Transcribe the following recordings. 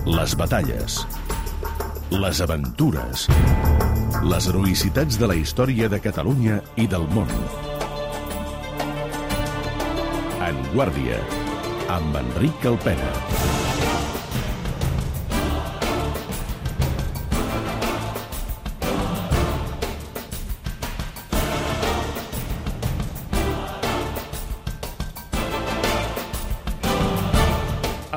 Les batalles, les aventures, les heroïcitats de la història de Catalunya i del món. En Guàrdia, amb Enric Alpena.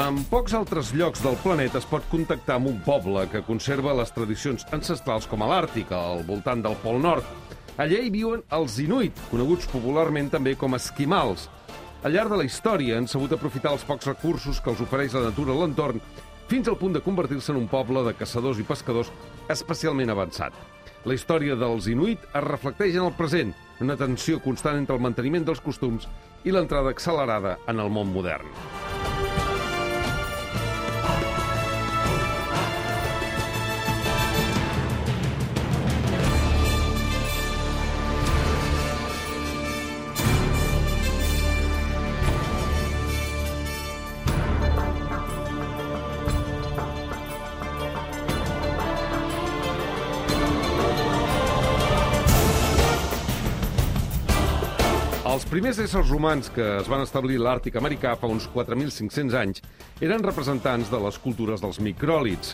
En pocs altres llocs del planeta es pot contactar amb un poble que conserva les tradicions ancestrals com a l'Àrtic, al voltant del Pol Nord. Allà hi viuen els Inuit, coneguts popularment també com esquimals. Al llarg de la història han sabut aprofitar els pocs recursos que els ofereix la natura a l'entorn, fins al punt de convertir-se en un poble de caçadors i pescadors especialment avançat. La història dels Inuit es reflecteix en el present, una tensió constant entre el manteniment dels costums i l'entrada accelerada en el món modern. Els primers éssers humans que es van establir a l'Àrtic americà fa uns 4.500 anys eren representants de les cultures dels micròlits.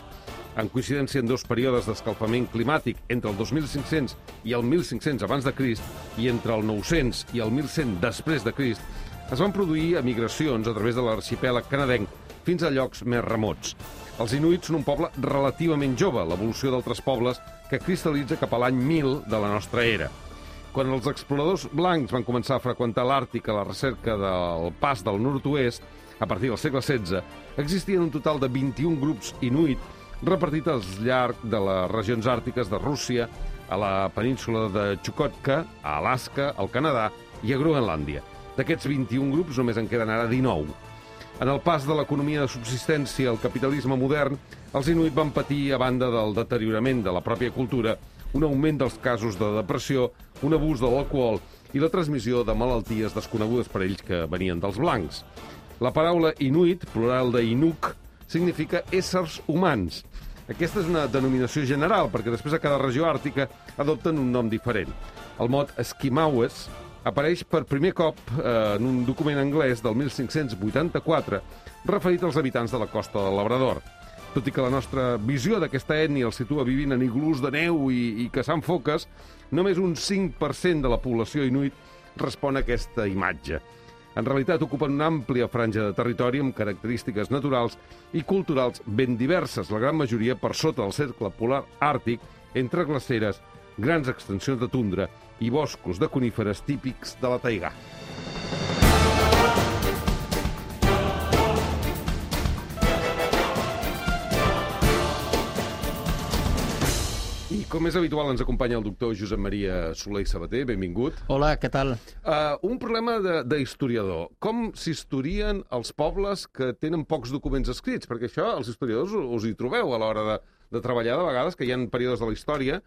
En coincidència en dos períodes d'escalfament climàtic entre el 2500 i el 1500 abans de Crist i entre el 900 i el 1100 després de Crist, es van produir emigracions a través de l'arxipèlag canadenc fins a llocs més remots. Els Inuits són un poble relativament jove, l'evolució d'altres pobles que cristal·litza cap a l'any 1000 de la nostra era. Quan els exploradors blancs van començar a freqüentar l'Àrtic a la recerca del pas del nord-oest, a partir del segle XVI, existien un total de 21 grups inuit repartits al llarg de les regions àrtiques de Rússia, a la península de Chukotka, a Alaska, al Canadà i a Groenlàndia. D'aquests 21 grups només en queden ara 19. En el pas de l'economia de subsistència al capitalisme modern, els inuit van patir, a banda del deteriorament de la pròpia cultura, un augment dels casos de depressió, un abús de l'alcohol i la transmissió de malalties desconegudes per ells que venien dels blancs. La paraula inuit, plural de inuk, significa éssers humans. Aquesta és una denominació general, perquè després a cada regió àrtica adopten un nom diferent. El mot esquimaues apareix per primer cop en un document anglès del 1584 referit als habitants de la costa del Labrador. Tot i que la nostra visió d'aquesta ètnia els situa vivint en iglús de neu i caçant foques, només un 5% de la població inuit respon a aquesta imatge. En realitat ocupen una àmplia franja de territori amb característiques naturals i culturals ben diverses, la gran majoria per sota del cercle polar àrtic, entre glaceres, grans extensions de tundra i boscos de coníferes típics de la taigà. I com és habitual ens acompanya el doctor Josep Maria Soler i Sabater, benvingut. Hola, què tal? Un problema d'historiador. Com s'historien els pobles que tenen pocs documents escrits? Perquè això, els historiadors us hi trobeu a l'hora de treballar de vegades, que hi ha períodes de la història,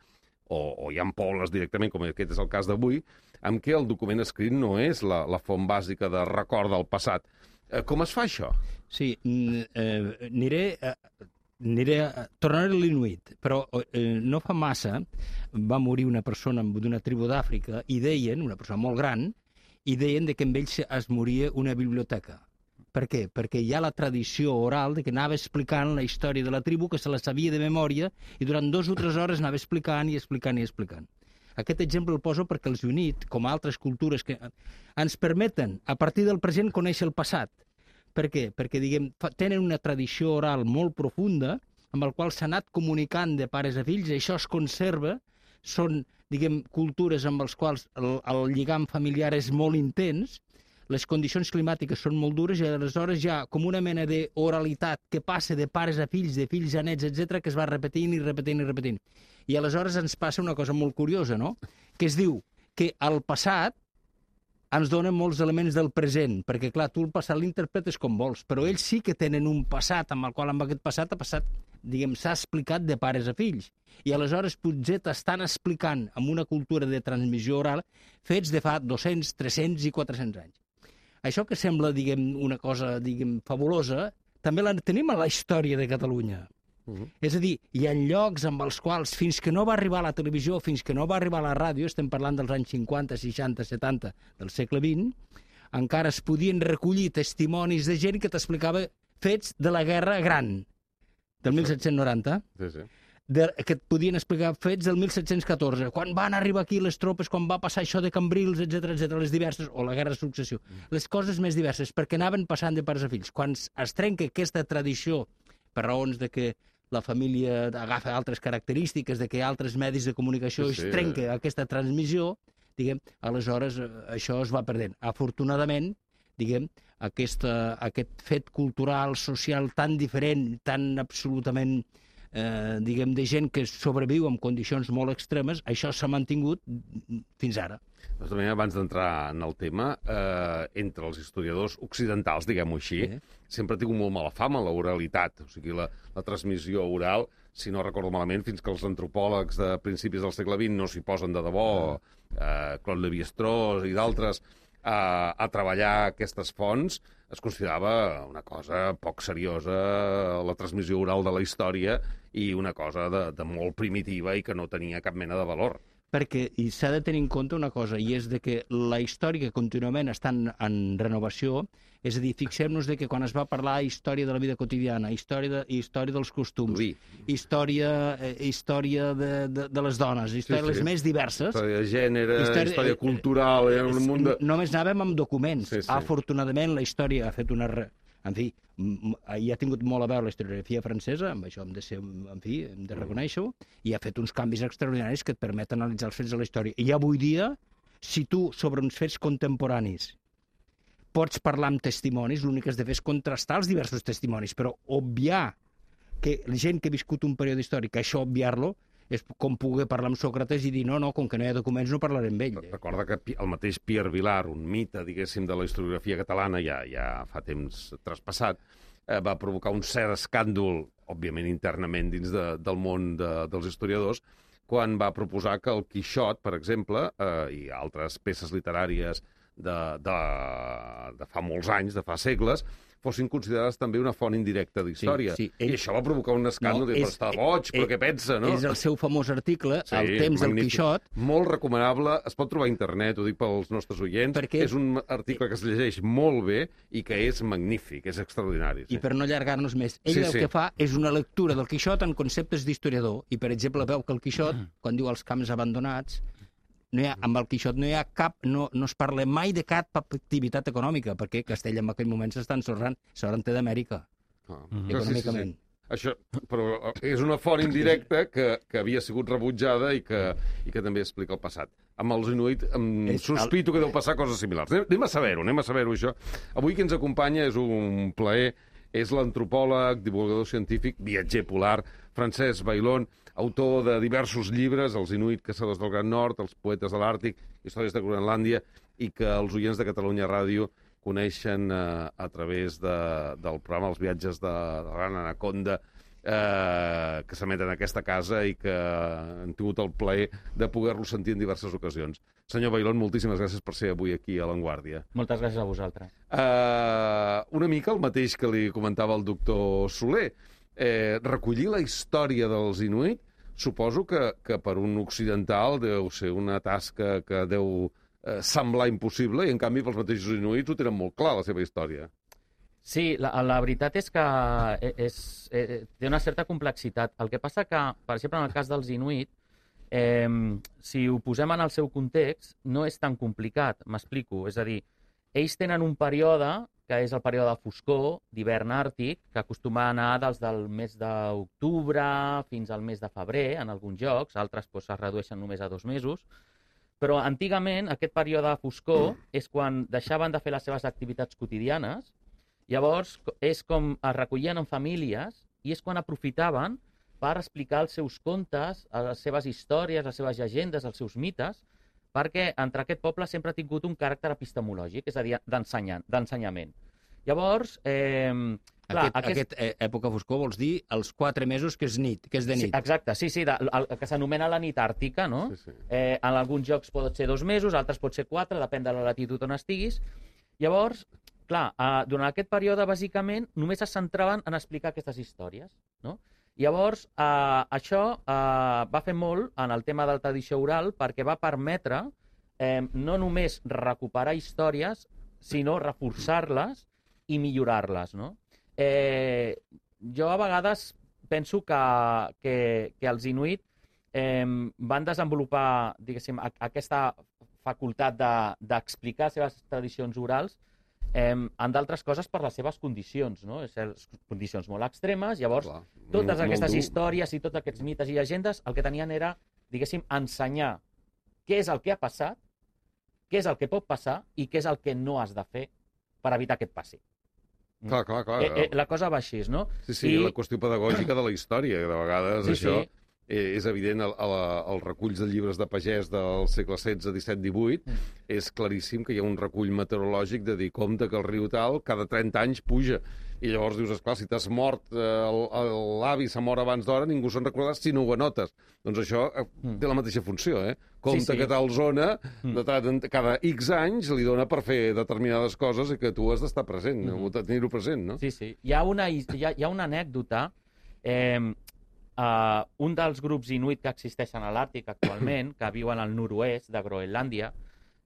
o hi ha pobles directament, com aquest és el cas d'avui, en què el document escrit no és la font bàsica de record del passat. Com es fa això? Sí, tornaré a l'Inuit, però no fa massa va morir una persona d'una tribu d'Àfrica i deien, una persona molt gran, i deien que amb ells es moria una biblioteca. Per què? Perquè hi ha la tradició oral de que anava explicant la història de la tribu, que se la sabia de memòria, i durant 2 o 3 hores anava explicant i explicant i explicant. Aquest exemple el poso perquè els Inuit, com altres cultures, que ens permeten, a partir del present, conèixer el passat. Per què? Perquè, tenen una tradició oral molt profunda amb el qual s'ha anat comunicant de pares a fills, i això es conserva, són, cultures amb les quals el lligam familiar és molt intens, les condicions climàtiques són molt dures i aleshores hi ha com una mena d'oralitat que passa de pares a fills, de fills a nets, etc., que es va repetint i repetint i repetint. I aleshores ens passa una cosa molt curiosa, no? Que es diu que el passat ens dona molts elements del present, perquè, clar, tu el passat l'interpretes com vols, però ells sí que tenen un passat amb el qual amb aquest passat s'ha explicat de pares a fills. I aleshores potser t'estan explicant amb una cultura de transmissió oral fets de fa 200, 300 i 400 anys. Això que sembla, una cosa, fabulosa, també la tenim a la història de Catalunya. És a dir, hi ha llocs amb els quals, fins que no va arribar a la televisió, fins que no va arribar a la ràdio, estem parlant dels anys 50, 60, 70 del segle XX, encara es podien recollir testimonis de gent que t'explicava fets de la Guerra Gran, del 1790, que et podien explicar fets del 1714, quan van arribar aquí les tropes, quan va passar això de Cambrils, etc, les diverses, o la Guerra de Successió, les coses més diverses, perquè anaven passant de pares a fills. Quan es trenca aquesta tradició, per raons de que la família agafa altres característiques, de que altres medis de comunicació es trenca aquesta transmissió, diguem, aleshores això es va perdent. Afortunadament, diguem, aquest fet cultural, social tan diferent, tan absolutament, diguem, de gent que sobreviu en condicions molt extremes, això s'ha mantingut fins ara. També, abans d'entrar en el tema, entre els historiadors occidentals, diguem-ho així, sempre ha tingut molt mala fama l'oralitat, o sigui, la transmissió oral, si no recordo malament, fins que els antropòlegs de principis del segle XX no s'hi posen de debò, Claude Lévi-Strauss i d'altres, a treballar aquestes fonts, es considerava una cosa poc seriosa, la transmissió oral de la història, i una cosa de molt primitiva i que no tenia cap mena de valor. Perquè s'ha de tenir en compte una cosa, i és de que la història contínuament està en renovació, és a dir, fixem-nos que quan es va parlar història de la vida quotidiana, història dels costums, història de les dones, història les més diverses... Història de gènere, història cultural... Només anàvem amb documents. Afortunadament, la història ha fet una... En fi, hi ha tingut molt a veure la historiografia francesa, amb això hem de ser, en fi, hem de reconèixer-ho, i ha fet uns canvis extraordinaris que et permeten analitzar els fets de la història. I avui dia, si tu, sobre uns fets contemporanis, pots parlar amb testimonis, l'únic que has de fer és contrastar els diversos testimonis, però obviar que la gent que ha viscut un període històric, això obviar-lo, és com poder parlar amb Sòcrates i dir no, com que no hi ha documents no parlaré amb ell. Recorda que el mateix Pierre Vilar, un mite, diguéssim, de la historiografia catalana, ja fa temps traspassat, va provocar un cert escàndol, òbviament internament dins del món dels historiadors, quan va proposar que el Quixot, per exemple, i altres peces literàries de fa molts anys, de fa segles, fossin considerades també una font indirecta d'història. I això va provocar un escàndol, però està boig, però què pensa, no? És el seu famós article, El temps del Quixot. Molt recomanable, es pot trobar a internet, ho dic pels nostres oients, és un article que es llegeix molt bé i que és magnífic, és extraordinari. I per no allargar-nos més, ell el que fa és una lectura del Quixot en conceptes d'historiador, i per exemple veu que el Quixot, quan diu els camps abandonats, amb el Quixot no hi ha no es parla mai de cap activitat econòmica, perquè Castella en aquell moment s'està ensorrant, s'hauran d'Amèrica, econòmicament. Això, però és una font indirecta que havia sigut rebutjada i que també explica el passat. Amb els Inuit sospito que deu passar coses similars. Anem a saber-ho, això. Avui qui ens acompanya és un plaer, és l'antropòleg, divulgador científic, viatger polar, Francesc Bailón, autor de diversos llibres, Els Inuit, caçadors del Gran Nord, Els poetes de l'Àrtic, Històries de Groenlàndia, i que els oients de Catalunya Ràdio coneixen a través del programa Els viatges de la Gran Anaconda, que s'emeten en aquesta casa i que han tingut el plaer de poder-lo sentir en diverses ocasions. Senyor Bailón, moltíssimes gràcies per ser avui aquí a L'Enguàrdia. Moltes gràcies a vosaltres. Una mica el mateix que li comentava el doctor Soler. Recollir la història dels Inuit, suposo que per un occidental deu ser una tasca que deu semblar impossible, i en canvi pels mateixos Inuits ho tenen molt clar, la seva història. Sí, la veritat és que té una certa complexitat. El que passa que, per exemple, en el cas dels Inuit, si ho posem en el seu context, no és tan complicat, m'explico. És a dir, ells tenen un període, que és el període de foscor, d'hivern àrtic, que acostuma a anar del mes d'octubre fins al mes de febrer, en alguns llocs, altres es redueixen només a 2 mesos, però antigament aquest període de foscor és quan deixaven de fer les seves activitats quotidianes. Llavors, és com es recollien en famílies i és quan aprofitaven per explicar els seus contes, les seves històries, les seves llegendes, els seus mites, perquè entre aquest poble sempre ha tingut un caràcter epistemològic, és a dir, d'ensenyament. Llavors, Aquesta època foscor vols dir els 4 mesos que és nit, que és de nit. Sí, exacte, sí, el que s'anomena la nit àrtica, no? En alguns llocs pot ser 2 mesos, altres pot ser 4, depèn de la latitud on estiguis. Llavors, clar, durant aquest període, bàsicament, només es centraven en explicar aquestes històries, no? Llavors, això va fer molt en el tema de la tradició oral perquè va permetre no només recuperar històries, sinó reforçar-les i millorar-les, no? Jo a vegades penso que els inuit van desenvolupar, diguéssim, aquesta facultat d'explicar les seves tradicions orals en d'altres coses per les seves condicions, no? Condicions molt extremes. Llavors, totes aquestes històries i tots aquests mites i llegendes el que tenien era, diguéssim, ensenyar què és el que ha passat, què és el que pot passar i què és el que no has de fer per evitar que et passi. Clar. La cosa va així, no? Sí, la qüestió pedagògica de la història, que de vegades això és evident als reculls de llibres de pagès del segle XVI, XVII, XVIII, és claríssim que hi ha un recull meteorològic de dir, compte que el riu tal cada 30 anys puja. I llavors dius, esclar, si t'has mort, l'avi s'ha mort abans d'hora, ningú se'n recordarà si no ho anotes. Doncs això té la mateixa funció, Compte que tal zona, cada X anys li dona per fer determinades coses i que tu has d'estar present, de tenir-ho present, no? Sí. Hi ha una anècdota. Un dels grups inuit que existeixen a l'Àrtic actualment, que viuen al nord-oest de Groenlàndia,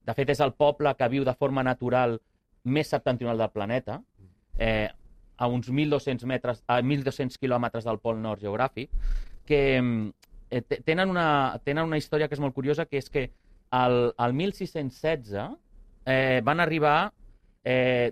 de fet és el poble que viu de forma natural més septentrional del planeta, a uns 1.200 quilòmetres del pol nord geogràfic, que tenen una història que és molt curiosa, que és que al 1616 van arribar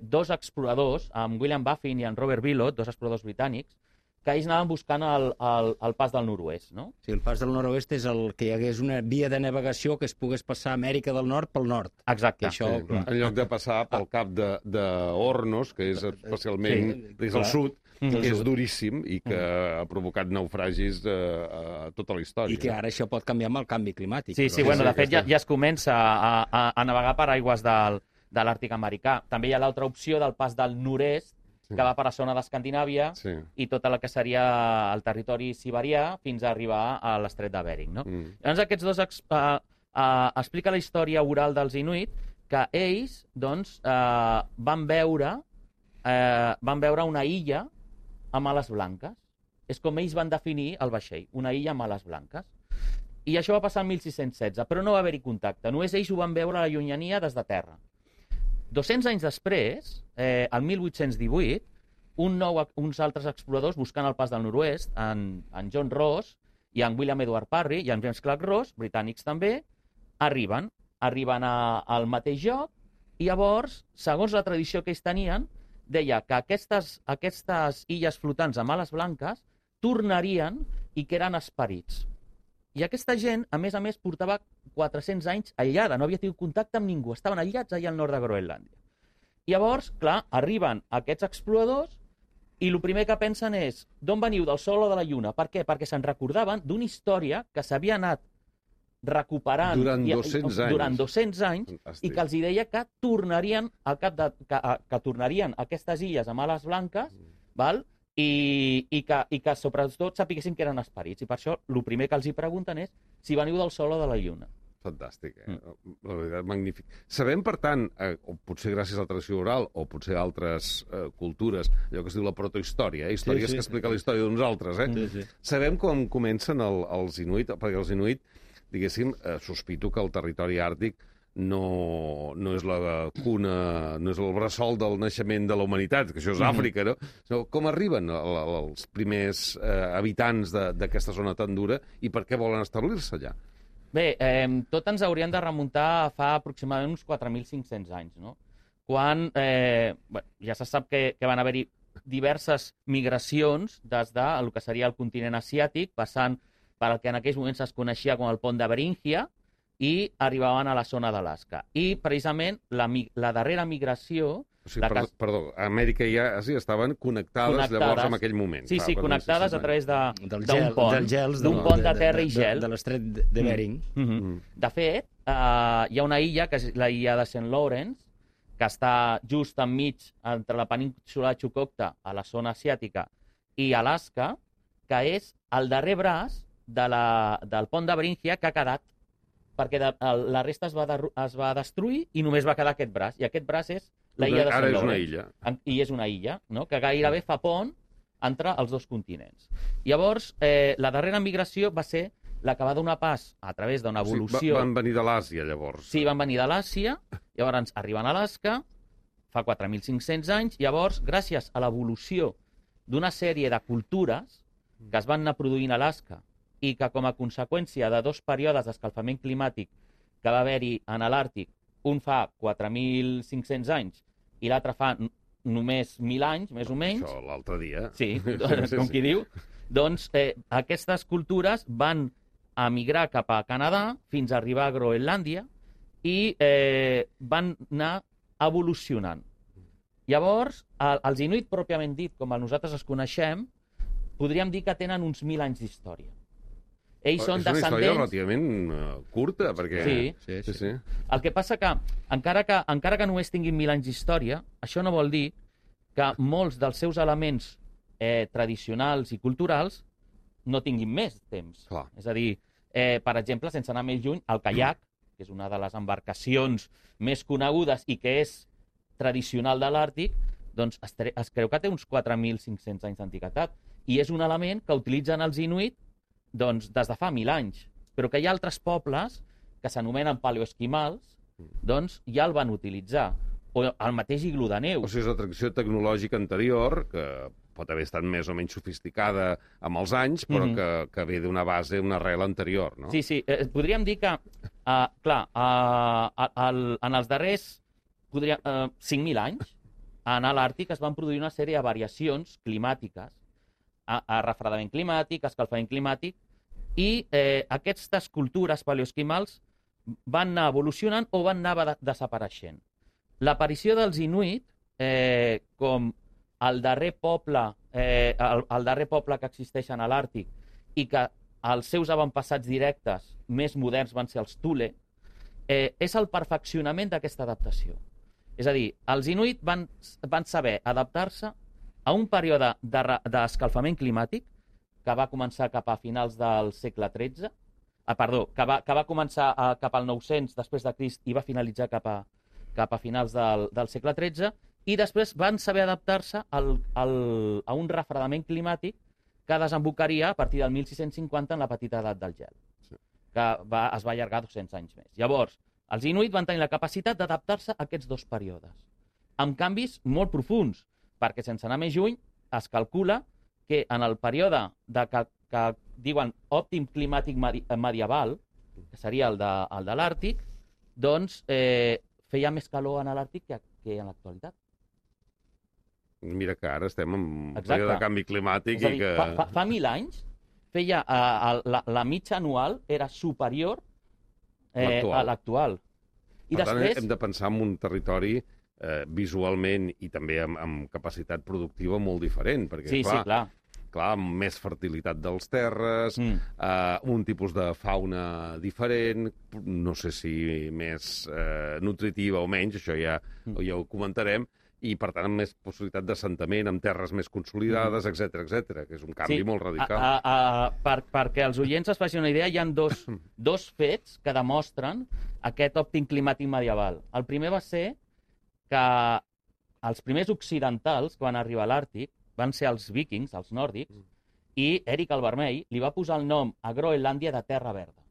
dos exploradors, amb William Baffin i en Robert Billot, dos exploradors britànics, que ells anaven buscant el pas del nord-oest, no? Sí, el pas del nord-oest és el que hi hagués una via de navegació que es pogués passar a Amèrica del Nord pel nord. Exacte. Això, en lloc de passar pel cap d'Hornos, que és especialment des del sud, que és duríssim i que ha provocat naufragis a tota la història. I que ara això pot canviar amb el canvi climàtic. Sí, bueno, de fet ja es comença a navegar per aigües de l'Àrtic americà. També hi ha l'altra opció del pas del nord-est, que va per la zona d'Escandinàvia i tota la que seria el territori siberià fins a arribar a l'estret de Bering, no? Llavors aquests dos explica la història oral dels inuit que ells, doncs, van veure una illa amb ales blanques. És com ells van definir el vaixell, una illa amb ales blanques. I això va passar el 1616, però no va haver-hi contacte. Només ells ho van veure a la llunyania des de terra. 200 anys després, el 1818, uns altres exploradors buscant el pas del nord-oest, en John Ross i en William Edward Parry i en James Clark Ross, britànics també, arriben al mateix lloc i llavors, segons la tradició que ells tenien, deia que aquestes illes flotants amb ales blanques tornarien i que eren esperits. I aquesta gent, a més, portava 400 anys aïllada, no havia tingut contacte amb ningú, estaven aïllats allà al nord de Groenlàndia. Llavors, clar, arriben aquests exploradors i el primer que pensen és d'on veniu, del Sol o de la Lluna? Per què? Perquè se'n recordaven d'una història que s'havia anat recuperant durant 200 anys i que els deia que tornarien que tornarien aquestes illes amb ales blanques, val? I que sobretot sapiguessin que eren esperits. I per això el primer que els hi pregunten és si veniu del Sol o de la Lluna. Fantàstic, la veritat, magnífic. Sabem, per tant, o potser gràcies a la tradició oral, o potser a altres cultures, allò que es diu la protohistòria, històries que explica la història d'uns altres, Sabem com comencen els inuit, perquè els inuit, diguéssim, sospito que el territori àrtic no és la cuna, no és el bressol del naixement de la humanitat, que això és Àfrica, no? Com arriben els primers habitants d'aquesta zona tan dura i per què volen establir-se allà? Bé, tot ens hauríem de remuntar a fa aproximadament uns 4.500 anys, no? Quan ja se sap que van haver-hi diverses migracions des del que seria el continent asiàtic, passant per el que en aquells moments es coneixia com el pont de Beríngia, i arribaven a la zona d'Alaska. I, precisament, la darrera migració... Perdó, Amèrica i Àsia estaven connectades llavors en aquell moment. Sí, connectades a través d'un pont de terra i gel. De l'estret de Bering. De fet, hi ha una illa, que és la illa de St. Lawrence, que està just enmig entre la península de Chukotka, a la zona asiàtica, i Alaska, que és el darrer braç del pont de Beríngia que ha quedat, perquè la resta es va destruir i només va quedar aquest braç. I aquest braç és l'illa de Ara Sant és una Lawrence. illa. I és una illa, no? Que gairebé fa pont entre els dos continents. Llavors, la darrera migració va ser la que va donar pas a través d'una evolució... Van venir de l'Àsia, llavors. Sí, van venir de l'Àsia, llavors arriben a Alaska, fa 4.500 anys, llavors, gràcies a l'evolució d'una sèrie de cultures que es van anar produint a Alaska i que, com a conseqüència de dos períodes d'escalfament climàtic que va haver-hi en l'Àrtic, un fa 4.500 anys i l'altre fa només 1.000 anys, més o menys... Això, l'altre dia. Sí, com qui diu. Doncs aquestes cultures van a migrar cap a Canadà fins a arribar a Groenlàndia i van anar evolucionant. Llavors, els inuit pròpiament dit, com nosaltres els coneixem, podríem dir que tenen uns 1.000 anys d'història. Ells són descendents... És una història relativament curta, perquè... Sí. El que passa que, encara que només tinguin 1.000 anys d'història, això no vol dir que molts dels seus elements tradicionals i culturals no tinguin més temps. Clar. És a dir, per exemple, sense anar més lluny, el caiac, que és una de les embarcacions més conegudes i que és tradicional de l'Àrtic, doncs es creu que té uns 4.500 anys d'antiguitat. I és un element que utilitzen els inuit doncs, des de fa 1.000 anys. Però que hi ha altres pobles que s'anomenen paleoesquimals, doncs ja el van utilitzar. O el mateix iglú de neu. O sigui, és una tradició tecnològica anterior, que pot haver estat més o menys sofisticada amb els anys, però que ve d'una base, una arrel anterior, no? Sí. Podríem dir que, clar, en els darrers 5.000 anys, a l'Àrtic es van produir una sèrie de variacions climàtiques, a refredament climàtic, escalfament climàtic, i aquestes cultures paleoesquimals van anar evolucionant o van anar desapareixent. L'aparició dels inuit, com el darrer poble que existeixen a l'Àrtic i que els seus avantpassats directes més moderns van ser els Thule, és el perfeccionament d'aquesta adaptació. És a dir, els inuit van saber adaptar-se a un període d'escalfament climàtic que va començar cap a finals del segle XIII, que va començar cap al 900 després de Crist i va finalitzar cap a finals del segle XIII, i després van saber adaptar-se a un refredament climàtic que desembocaria a partir del 1650 en la petita edat del gel, que es va allargar 200 anys més. Llavors, els inuit van tenir la capacitat d'adaptar-se a aquests dos períodes, amb canvis molt profuns, perquè sense anar més lluny es calcula que en el període que diuen òptim climàtic medieval, que seria el de l'Àrtic, doncs feia més calor a l'Àrtic que en l'actualitat. Mira que ara estem en un període de canvi climàtic. És a dir, fa 1.000 anys feia la mitja anual era superior a l'actual. Per tant, hem de pensar en un territori visualment i també amb capacitat productiva molt diferent, perquè, clar, amb més fertilitat dels terres, un tipus de fauna diferent, no sé si més nutritiva o menys, això ja ho comentarem, i, per tant, amb més possibilitat d'assentament, amb terres més consolidades, etc., que és un canvi molt radical. Perquè els oients es facin una idea, hi ha dos fets que demostren aquest òptim climàtic medieval. El primer va ser que els primers occidentals que van arribar a l'Àrtic van ser els vikings, els nòrdics, i Èric el Vermell li va posar el nom a Groenlàndia de Terra Verda.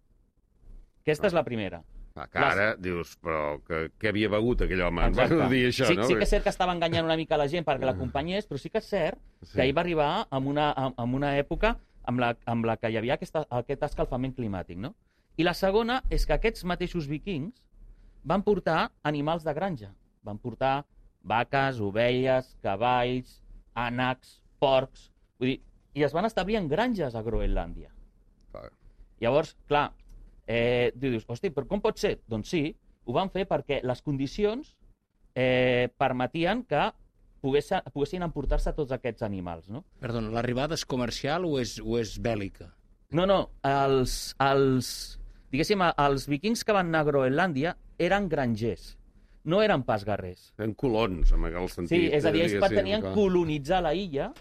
Aquesta és la primera. Que ara dius, però què havia begut aquell home? Ens va dir això, no? Sí que és cert que estava enganyant una mica la gent perquè l'acompanyés, però sí que és cert que ell va arribar en una època amb la que hi havia aquest escalfament climàtic, no? I la segona és que aquests mateixos vikings van portar animals de granja. Van portar vaques, ovelles, cavalls, ànecs, porcs... Vull dir, i es van establir en granges a Groenlàndia. Llavors, clar, dius, hosti, però com pot ser? Doncs sí, ho van fer perquè les condicions permetien que poguessin emportar-se tots aquests animals, no? Perdona, l'arribada és comercial o és bèl·lica? No, diguéssim, els vikings que van anar a Groenlàndia eren grangers, no eren pas guerrers. Eren colons, en el sentit... Sí, és a dir, ells pretenien colonitzar la illa,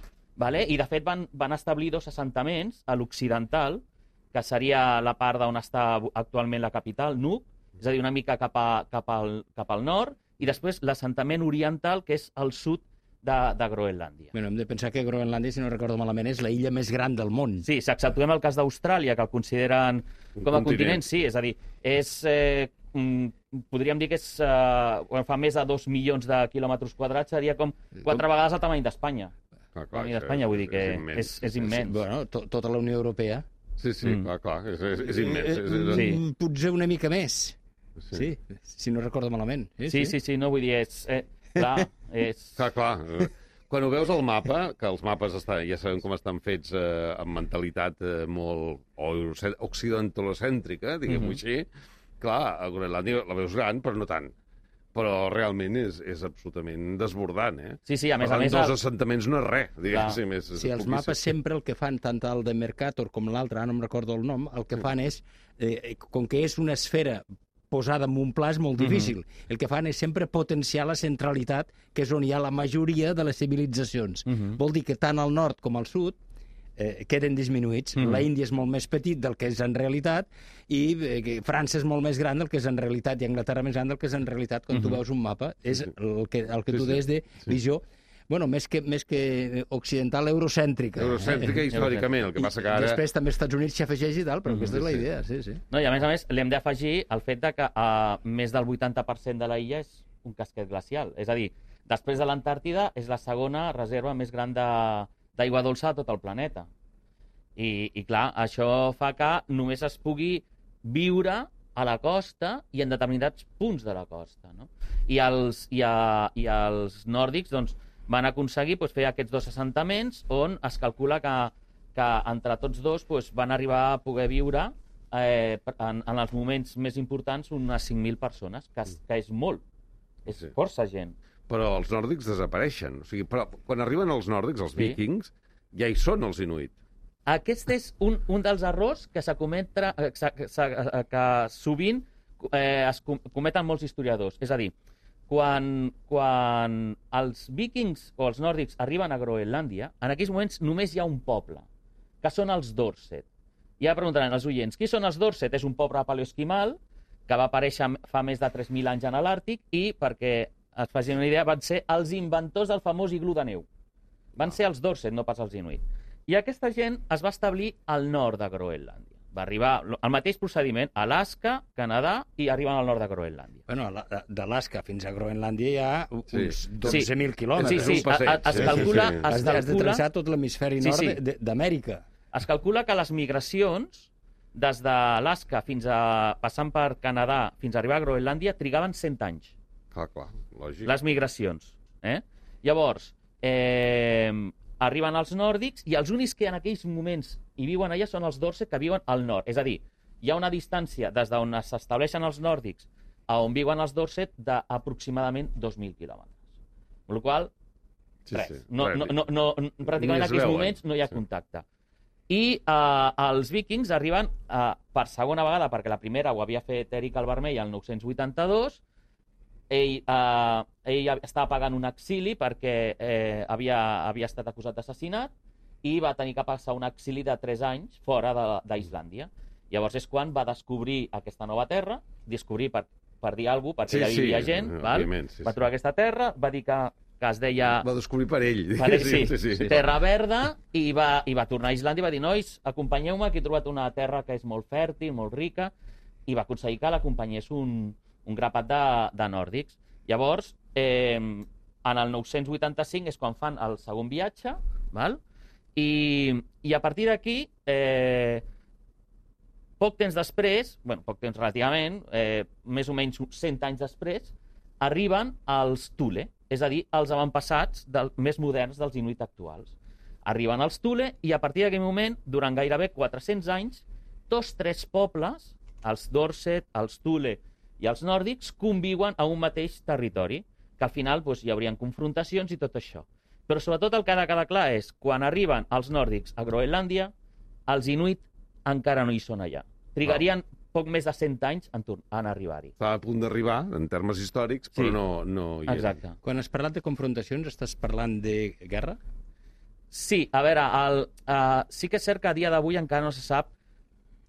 i de fet van establir dos assentaments a l'occidental, que seria la part d'on està actualment la capital, Nuuk, és a dir, una mica cap al nord, i després l'assentament oriental, que és al sud de Groenlàndia. Bueno, hem de pensar que Groenlàndia, si no recordo malament, és la illa més gran del món. Sí, si exceptuem el cas d'Austràlia, que el consideren com a continent, sí, és a dir, podríem dir que fa més de 2 milions de quilòmetres quadrats, seria com 4 vegades el tamany d'Espanya. La mida d'Espanya, vull dir que és immens. Bueno, tota la Unió Europea. Sí, clar, és immens. Potser una mica més. Sí, si no recordo malament. Sí, no, vull dir, clar, Clar. Quan ho veus al mapa, que els mapes ja sabem com estan fets amb mentalitat molt occidentalocèntrica, diguem-ho així, clar, a Groenlàndia la veus gran, però no tant. Però realment és absolutament desbordant, eh? Sí, a més a més... Dos assentaments no és res, diguéssim. Sí, els mapes sempre el que fan, tant el de Mercator com l'altre, no em recordo el nom, el que fan és, com que és una esfera posada en un pla és molt difícil. El que fan és sempre potenciar la centralitat, que és on hi ha la majoria de les civilitzacions. Vol dir que tant al nord com al sud queden disminuïts. La Índia és molt més petit del que és en realitat i França és molt més gran del que és en realitat i Anglaterra més gran del que és en realitat quan tu veus un mapa. És el que tu deies de visió... Bueno, més que occidental, eurocèntrica. Eurocèntrica històricament, el que passa que ara... Després també als Estats Units s'hi afegeix i tal, però aquesta és la idea, sí. No, i a més l'hem d'afegir el fet de que més del 80% de la illa és un casquet glacial. És a dir, després de l'Antàrtida és la segona reserva més gran d'aigua dolça de tot el planeta. I clar, això fa que només es pugui viure a la costa i en determinats punts de la costa, no? I els nòrdics, doncs, van aconseguir fer aquests 2 assentaments on es calcula que entre tots dos van arribar a poder viure en els moments més importants unes 5.000 persones, que és molt, és força gent. Però els nòrdics desapareixen. O sigui, però quan arriben els nòrdics, els vikings, ja hi són els inuit. Aquest és un dels errors que que sovint es cometen molts historiadors. És a dir, quan els vikings o els nòrdics arriben a Groenlàndia, en aquells moments només hi ha un poble, que són els Dorset. I ara preguntaran els oients, qui són els Dorset? És un poble paleoesquimal que va aparèixer fa més de 3.000 anys en l'Àrtic i, perquè es facin una idea, van ser els inventors del famós iglú de neu. Van ser els Dorset, no pas els inuit. I aquesta gent es va establir al nord de Groenlàndia. Va arribar el mateix procediment a Alaska, Canadà, i arriben al nord de Groenlàndia. Bueno, d'Alaska fins a Groenlàndia hi ha uns 12.000 quilòmetres. Sí, es calcula... Has de travessar tot l'hemisferi nord d'Amèrica. Es calcula que les migracions, des d'Alaska passant per Canadà fins a arribar a Groenlàndia, trigaven 100 anys. Clar, lògic. Les migracions. Llavors, arriben els nòrdics i els únics que en aquells moments hi viuen allà són els Dorset, que viuen al nord. És a dir, hi ha una distància des d'on s'estableixen els nòrdics a on viuen els Dorset d'aproximadament 2.000 quilòmetres. Amb la qual cosa, res. Pràcticament en aquells moments no hi ha contacte. I els vikings arriben per segona vegada, perquè la primera ho havia fet Eric el Vermell el 982. Ell estava pagant un exili perquè havia estat acusat d'assassinat i va tenir que passar un exili de 3 anys fora d'Islàndia. Llavors és quan va descobrir aquesta nova terra, descobrir per dir alguna cosa, perquè ja vivia gent, va trobar aquesta terra, va dir que es deia... Va descobrir per ell. Terra verda, i va tornar a Islàndia i va dir, nois, acompanyeu-me, que he trobat una terra que és molt fèrtil, molt rica, i va aconseguir que l'acompanyés un grapat de nòrdics. Llavors, en el 985 és quan fan el segon viatge, i a partir d'aquí, poc temps després, poc temps relativament, més o menys 100 anys després, arriben els Thule, és a dir, els avantpassats més moderns dels inuit actuals. Arriben els Thule i a partir d'aquell moment, durant gairebé 400 anys, 3 pobles, els Dorset, els Thule i els nòrdics, conviuen a un mateix territori, que al final hi haurien confrontacions i tot això. Però sobretot el que ha de quedar clar és, quan arriben els nòrdics a Groenlàndia, els inuit encara no hi són allà. Trigarien poc més de 100 anys en arribar-hi. Està a punt d'arribar, en termes històrics, però no hi és. Exacte. Quan has parlat de confrontacions, estàs parlant de guerra? Sí, a veure, sí que és cert que a dia d'avui encara no se sap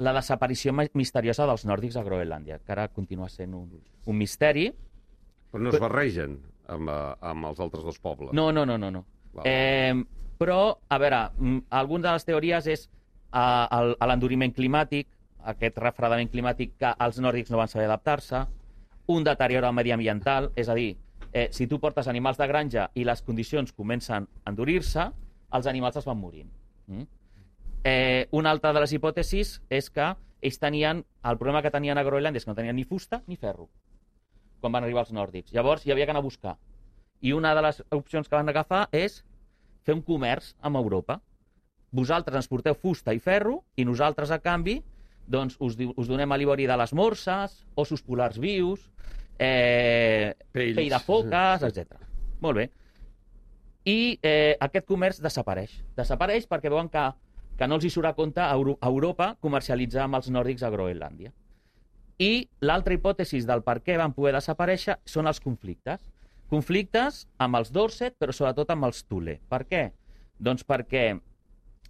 la desaparició misteriosa dels nòrdics a Groenlàndia, que ara continua sent un misteri, Però no es barregen amb els altres dos pobles. No. Però, a veure, alguna de les teories és l'enduriment climàtic, aquest refredament climàtic que els nòrdics no van saber adaptar-se, un deteriorament mediambiental, és a dir, si tu portes animals de granja i les condicions comencen a endurir-se, els animals es van morint. Una altra de les hipòtesis és que ells tenien... El problema que tenien a Groenlàndia és que no tenien ni fusta ni ferro quan van arribar els nòrdics. Llavors hi havia que anar a buscar. I una de les opcions que van agafar és fer un comerç amb Europa. Vosaltres ens porteu fusta i ferro i nosaltres, a canvi, doncs us donem a l'ivori de les morses, ossos polars vius, pell de foques, etc. Molt bé. I aquest comerç desapareix. Desapareix perquè veuen que no els hi surt a compte a Europa comercialitzar amb els nòrdics a Groenlàndia. I l'altra hipòtesi del per què van poder desaparèixer són els conflictes. Conflictes amb els Dorset, però sobretot amb els Thule. Per què? Doncs perquè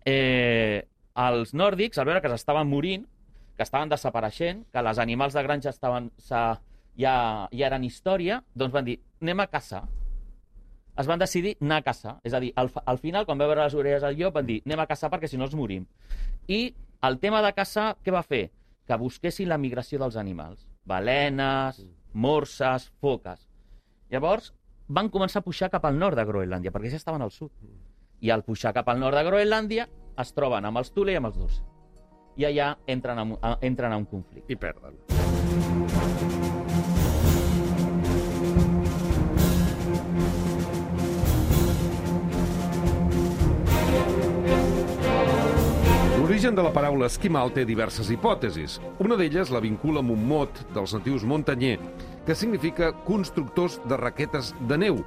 els nòrdics, al veure que s'estaven morint, que estaven desapareixent, que els animals de granja ja eren història, doncs van dir, anem a caçar. Es van decidir anar a caçar. És a dir, al final, quan va veure les orelles del llop, van dir, anem a caçar perquè si no ens morim. I el tema de caçar, què va fer? Que busquessin la migració dels animals. Balenes, morses, foques. Llavors, van començar a pujar cap al nord de Groenlàndia, perquè ja estaven al sud. I al pujar cap al nord de Groenlàndia, es troben amb els Thule i amb els Dorset. I allà entren a un conflicte. I perden. L'origen de la paraula esquimal té diverses hipòtesis. Una d'elles la vincula amb un mot dels natius Montanyer, que significa constructors de raquetes de neu.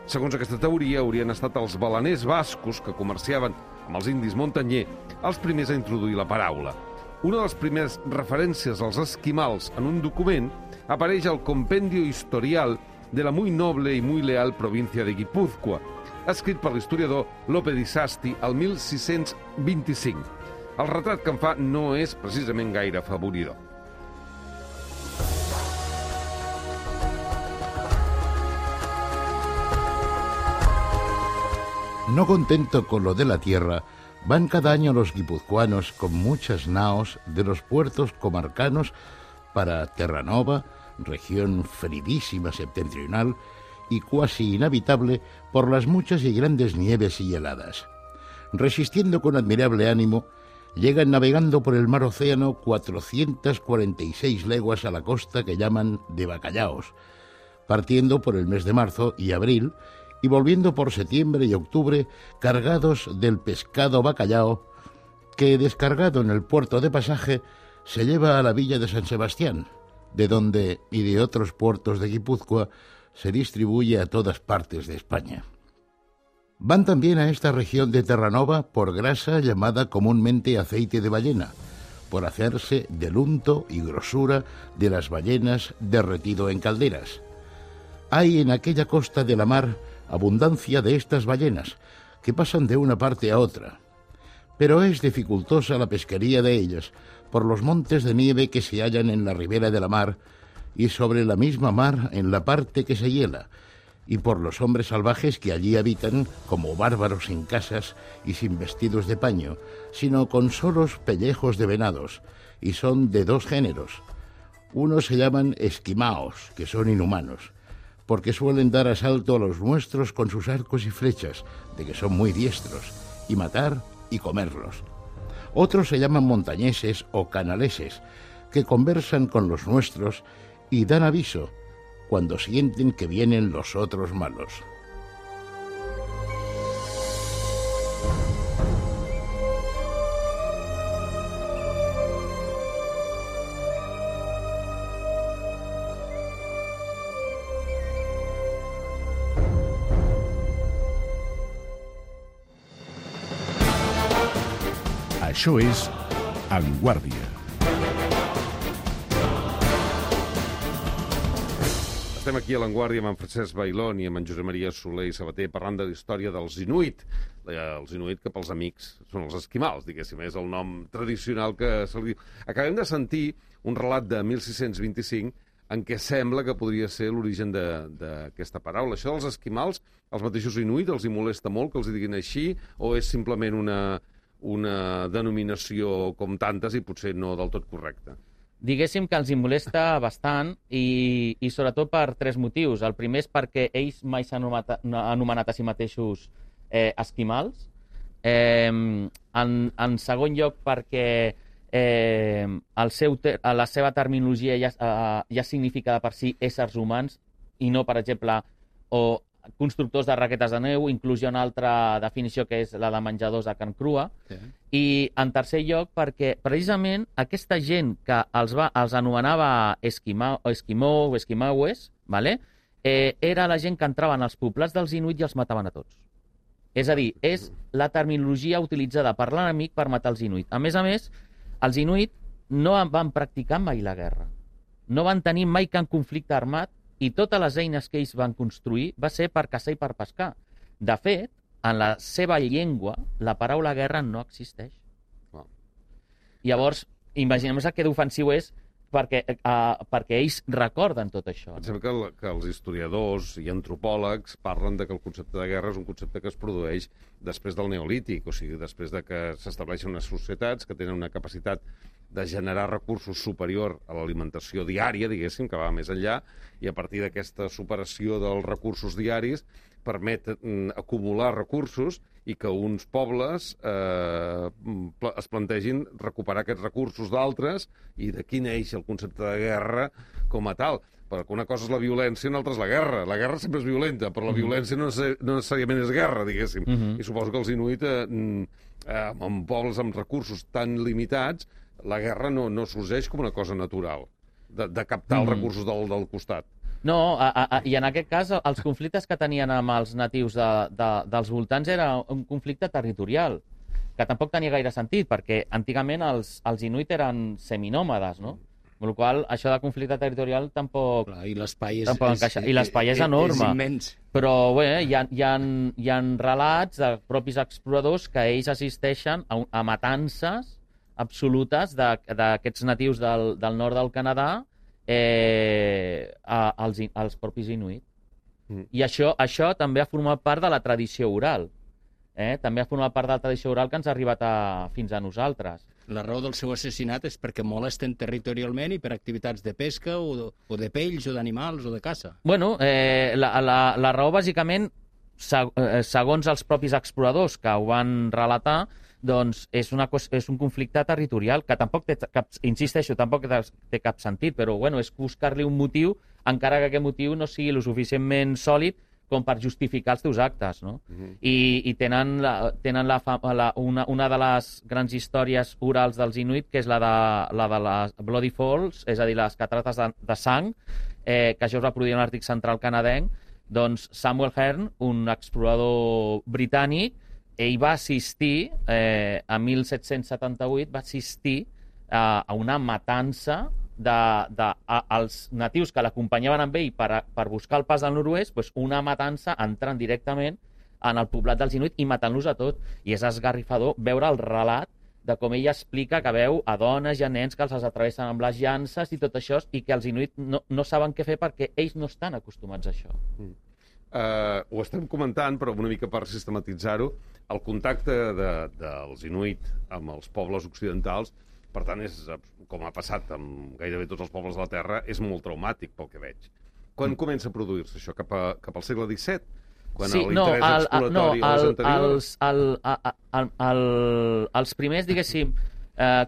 Segons aquesta teoria, haurien estat els baleners bascos que comerciaven amb els indis Montanyer els primers a introduir la paraula. Una de les primeres referències als esquimals en un document apareix al Compendio Historial de la muy noble y muy leal provincia de Guipúzcoa, escrit per l'historiador Lope di Sasti al 1625. El retrat que en fa no és precisament gaire afavoridor. No contento con lo de la tierra, van cada año los guipuzcoanos con muchas naos de los puertos comarcanos para Terranova, región feridísima septentrional y cuasi inhabitable por las muchas y grandes nieves y heladas. Resistiendo con admirable ánimo, llegan navegando por el mar Océano 446 leguas a la costa que llaman de Bacallaos, partiendo por el mes de marzo y abril y volviendo por septiembre y octubre cargados del pescado bacallao que, descargado en el puerto de pasaje, se lleva a la villa de San Sebastián, de donde y de otros puertos de Guipúzcoa se distribuye a todas partes de España. Van también a esta región de Terranova por grasa llamada comúnmente aceite de ballena, por hacerse del unto y grosura de las ballenas derretido en calderas. Hay en aquella costa de la mar abundancia de estas ballenas, que pasan de una parte a otra, pero es dificultosa la pesquería de ellas por los montes de nieve que se hallan en la ribera de la mar y sobre la misma mar en la parte que se hiela, y por los hombres salvajes que allí habitan como bárbaros sin casas y sin vestidos de paño, sino con solos pellejos de venados, y son de dos géneros. Unos se llaman esquimaos, que son inhumanos, porque suelen dar asalto a los nuestros con sus arcos y flechas, de que son muy diestros, y matar y comerlos. Otros se llaman montañeses o canaleses, que conversan con los nuestros y dan aviso cuando sienten que vienen los otros malos. Això és En Guàrdia. Estem aquí a l'Enguàrdia amb en Francesc Bailón i amb en Josep Maria Soler i Sabater parlant de la història dels Inuit. Els Inuit, que pels amics són els esquimals, diguéssim, és el nom tradicional que se li diu. Acabem de sentir un relat de 1625 en què sembla que podria ser l'origen d'aquesta paraula. Això dels esquimals, els mateixos inuit, els hi molesta molt que els diguin així, o és simplement una denominació com tantes i potser no del tot correcta? Diguéssim que els hi molesta bastant i sobretot per 3 motius. El primer és perquè ells mai s'han anomenat a si mateixos esquimals. En segon lloc, perquè la seva terminologia ja significa de per si éssers humans i no, per exemple, o constructors de raquetes de neu, inclús hi ha una altra definició que és la de menjadors de carn crua. Sí. I en tercer lloc, perquè precisament aquesta gent que els anomenava esquimó o esquimaues, vale? Era la gent que entraven als poblats dels inuit i els mataven a tots. És a dir, és la terminologia utilitzada per l'enemic per matar els inuit. A més, els inuit no van practicar mai la guerra. No van tenir mai cap conflicte armat i totes les eines que ells van construir va ser per caçar i per pescar. De fet, en la seva llengua, la paraula guerra no existeix. Wow. Llavors, imaginem-nos que d'ofensiu és perquè ells recorden tot això. Pensem que els historiadors i antropòlegs parlen de que el concepte de guerra és un concepte que es produeix després del Neolític, o sigui, després de que s'estableixen unes societats que tenen una capacitat de generar recursos superior a l'alimentació diària, diguéssim, que va més enllà, i a partir d'aquesta superació dels recursos diaris permet acumular recursos i que uns pobles es plantegin recuperar aquests recursos d'altres i d'aquí neix el concepte de guerra com a tal. Perquè una cosa és la violència i una altra és la guerra. La guerra sempre és violenta, però la violència no necessàriament és guerra, diguéssim. I suposo que els inuit, en pobles amb recursos tan limitats, la guerra no sorgeix com una cosa natural, de captar els recursos del costat. No, i en aquest cas els conflictes que tenien amb els natius dels voltants era un conflicte territorial, que tampoc tenia gaire sentit, perquè antigament els inuit eren seminòmades, no? Amb la qual cosa, això de conflicte territorial tampoc... Clar, i l'espai és enorme. És immens. Però bé, hi ha relats de propis exploradors que ells assisteixen a matances absolutes d'aquests natius del nord del Canadà als propis inuit. I això també ha format part de la tradició oral. També ha format part de la tradició oral que ens ha arribat fins a nosaltres. La raó del seu assassinat és perquè molesten territorialment i per activitats de pesca o de pells o d'animals o de caça. Bueno, la raó bàsicament, segons els propis exploradors que ho van relatar, doncs és un conflicte territorial que tampoc té tampoc té cap sentit, però bueno, és buscar-li un motiu, encara que aquest motiu no sigui lo suficientment sòlid com per justificar els teus actes, no? I tenen una de les grans històries orals dels inuit, que és la de les Bloody Falls, és a dir, les catarates de sang, que això es va produir a l'Àrtic Central canadenc. Doncs Samuel Hearn, un explorador britànic, ell va assistir, a 1778, va assistir a una matança dels natius que l'acompanyaven amb ell per buscar el pas del nord-oest, doncs una matança entrant directament en el poblat dels inuit i matant-los a tot. I és esgarrifador veure el relat de com ell explica que veu a dones i a nens que els atravessen amb les llances i tot això, i que els inuit no saben què fer perquè ells no estan acostumats a això. Ho estem comentant, però una mica per sistematitzar-ho, el contacte dels inuit amb els pobles occidentals, per tant, com ha passat amb gairebé tots els pobles de la Terra, és molt traumàtic pel que veig. Quan comença a produir-se això? Cap al segle XVII? Quan l'interès exploratori és anterior? Els primers, diguéssim,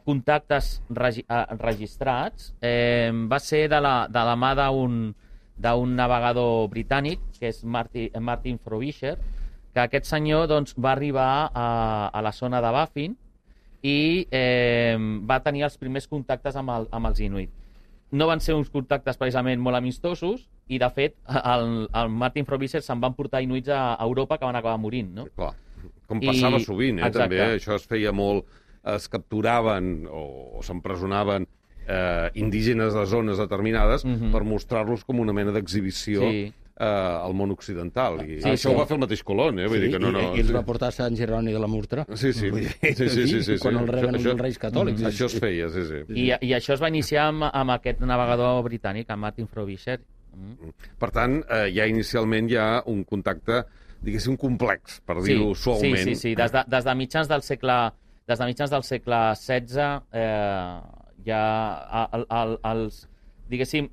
contactes registrats va ser de la mà d'un navegador britànic, que és Martin Frobisher, que aquest senyor va arribar a la zona de Baffin i va tenir els primers contactes amb els inuit. No van ser uns contactes precisament molt amistosos i, de fet, el Martin Frobisher se'n van portar inuits a Europa que van acabar morint, no? Clar, com passava sovint, també. Això es feia molt... Es capturaven o s'empresonaven indígenes de zones determinades per mostrar-los com una mena d'exhibició al món occidental. I Sí, això sí. ho va fer el mateix Colón, vull dir que no... I els va portar a Sant Jeroni de la Murtra. Sí. Quan el reben els Reis Catòlics. Això es feia, sí. I això es va iniciar amb aquest navegador britànic, amb Martin Frobisher. Per tant, ja inicialment hi ha un contacte, diguéssim, complex, per dir-ho suaument. Sí. Des de mitjans del segle XVI ja diguéssim,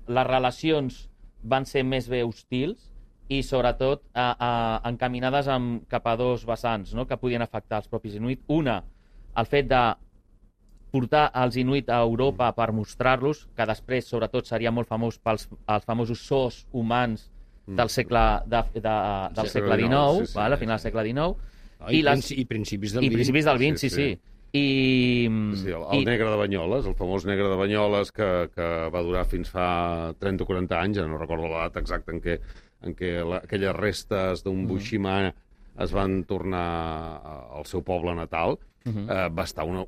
les relacions van ser més bé hostils i, sobretot, encaminades cap a dos vessants, no?, que podien afectar els propis inuit. Una, el fet de portar els inuit a Europa per mostrar-los, que després, sobretot, seria molt famós pels famosos zoos humans del segle XIX, sí. a final del segle XIX, I principis del XX. I principis del XX, sí. El negre de Banyoles, el famós negre de Banyoles, que va durar fins fa 30 o 40 anys, ja no recordo l'edat exacta en què aquelles restes d'un Bushima es van tornar al seu poble natal, va estar un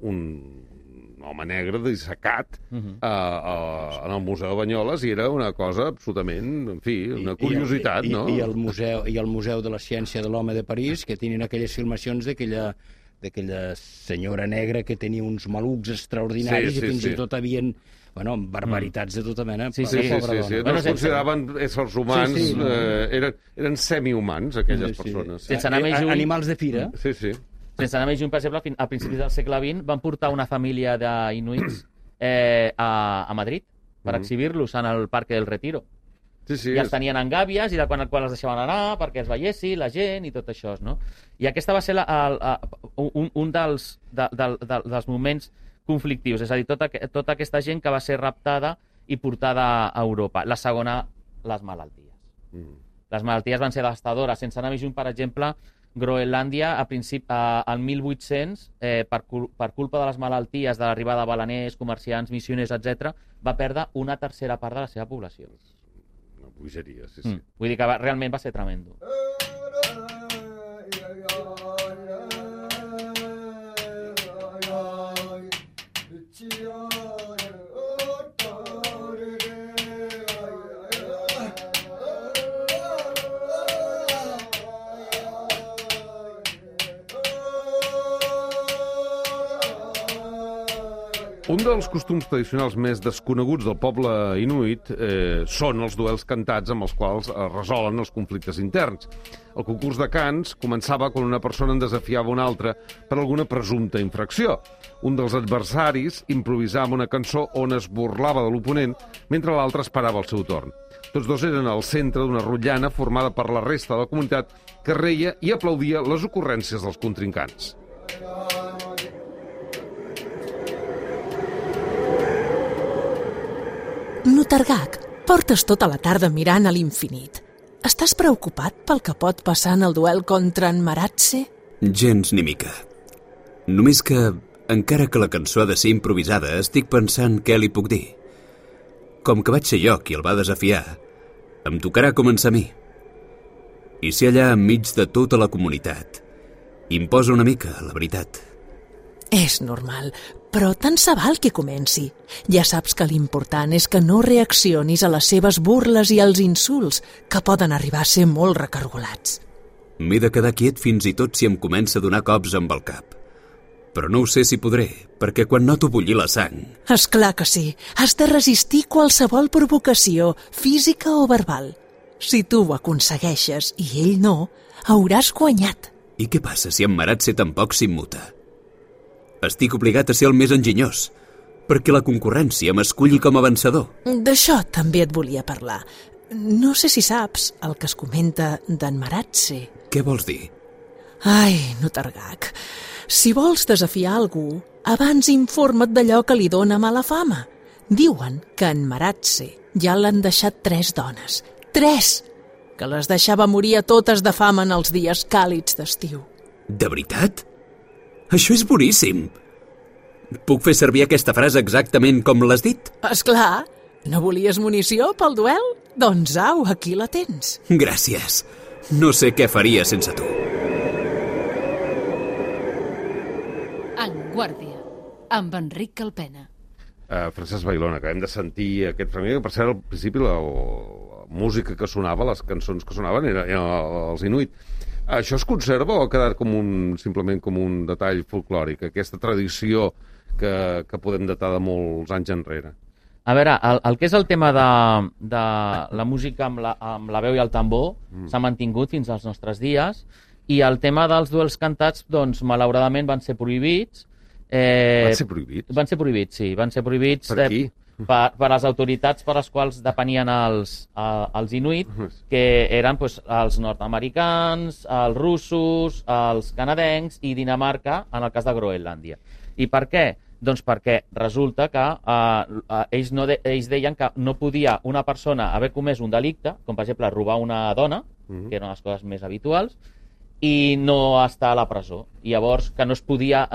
home negre dissecat en el Museu de Banyoles i era una cosa absolutament, en fi, una curiositat, no? I el Museu de la Ciència de l'Home de París, que tenien aquelles filmacions d'aquella senyora negra que tenia uns malucs extraordinaris i fins i tot havien barbaritats de tota mena. Sí. No es consideraven éssers humans, eren semihumans, aquelles persones. Sense anar més lluny... Animals de fira. Sí. Sense anar més lluny, per exemple, a principis del segle XX van portar una família d'inuits a Madrid per exhibir-los en el Parque del Retiro. I els tenien en gàbies i quan els deixaven anar perquè es veiessi la gent i tot això, no? I aquesta va ser un dels moments conflictius, és a dir, tota aquesta gent que va ser raptada i portada a Europa. La segona, les malalties. Les malalties van ser devastadores. Sense anar més lluny, per exemple, Groenlàndia, al 1800, per culpa de les malalties, de l'arribada de baleners, comerciants, missioners, etc., va perdre una tercera part de la seva població. Una bogeria, sí. Vull dir que realment va ser tremendo. Un dels costums tradicionals més desconeguts del poble inuit són els duels cantats amb els quals es resolen els conflictes interns. El concurs de cants començava quan una persona en desafiava una altra per alguna presumpta infracció. Un dels adversaris improvisava una cançó on es burlava de l'oponent mentre l'altre esperava el seu torn. Tots dos eren al centre d'una rotllana formada per la resta de la comunitat que reia i aplaudia les ocurrències dels contrincants. Nutargak, portes tota la tarda mirant a l'infinit. Estàs preocupat pel que pot passar en el duel contra en Maratse? Gens ni mica. Només que, encara que la cançó ha de ser improvisada, estic pensant què li puc dir. Com que vaig ser jo qui el va desafiar, em tocarà començar a mi. I ser allà enmig de tota la comunitat imposa una mica, la veritat. És normal, però tant se val que comenci. Ja saps que l'important és que no reaccionis a les seves burles i als insults, que poden arribar a ser molt recargolats. M'he de quedar quiet fins i tot si em comença a donar cops amb el cap. Però no ho sé si podré, perquè quan noto bullir la sang... És clar que sí. Has de resistir qualsevol provocació, física o verbal. Si tu ho aconsegueixes i ell no, hauràs guanyat. I què passa si en Maratse tampoc s'immuta? Estic obligat a ser el més enginyós, perquè la concurrència m'esculli com a vencedor. D'això també et volia parlar. No sé si saps el que es comenta d'en Maratse. Què vols dir? Ai, Nutargak, si vols desafiar algú, abans informa't d'allò que li dóna mala fama. Diuen que en Maratse ja l'han deixat 3 dones. 3! Que les deixava morir a totes de fam en els dies càlids d'estiu. De veritat? Això és boníssim! Puc fer servir aquesta frase exactament com l'has dit? Esclar! No volies munició pel duel? Doncs au, aquí la tens. Gràcies. No sé què faria sense tu. En Guàrdia, amb Enric Calpena. Francesc Bailón, acabem de sentir aquest fragment, que per cert, al principi la música que sonava, les cançons que sonaven, eren els Inuit. Això es conserva o ha quedat simplement com un detall folclòric, aquesta tradició que podem datar de molts anys enrere? A veure, el que és el tema de la música amb la veu i el tambor s'ha mantingut fins als nostres dies, i el tema dels duels cantats, doncs, malauradament van ser prohibits. Van ser prohibits? Van ser prohibits, sí. Van ser prohibits per qui? Per les autoritats per les quals depenien els Inuit, que eren doncs, els nord-americans, els russos, els canadencs i Dinamarca, en el cas de Groenlàndia. I per què? Doncs perquè resulta que ells deien que no podia una persona haver comès un delicte, com per exemple robar una dona, que eren les coses més habituals, i no estar a la presó. I llavors que no es podia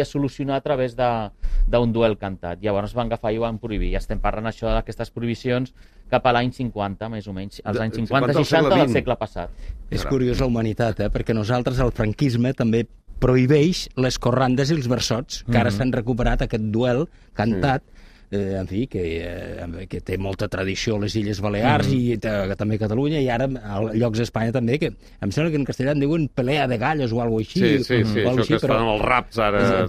solucionar a través d'un duel cantat. Llavors van agafar i ho van prohibir. I estem parlant això d'aquestes prohibicions cap a l'any 50, més o menys. Els anys 50-60 del segle passat. És curiós la humanitat, perquè nosaltres, el franquisme, també prohibeix les corrandes i els versots, que ara s'han recuperat aquest duel cantat, en fi, que té molta tradició a les Illes Balears i també a Catalunya, i ara a llocs d'Espanya també, que em sembla que en castellà en diuen pelea de gallos o alguna cosa així. Sí, això que es fan amb els raps ara.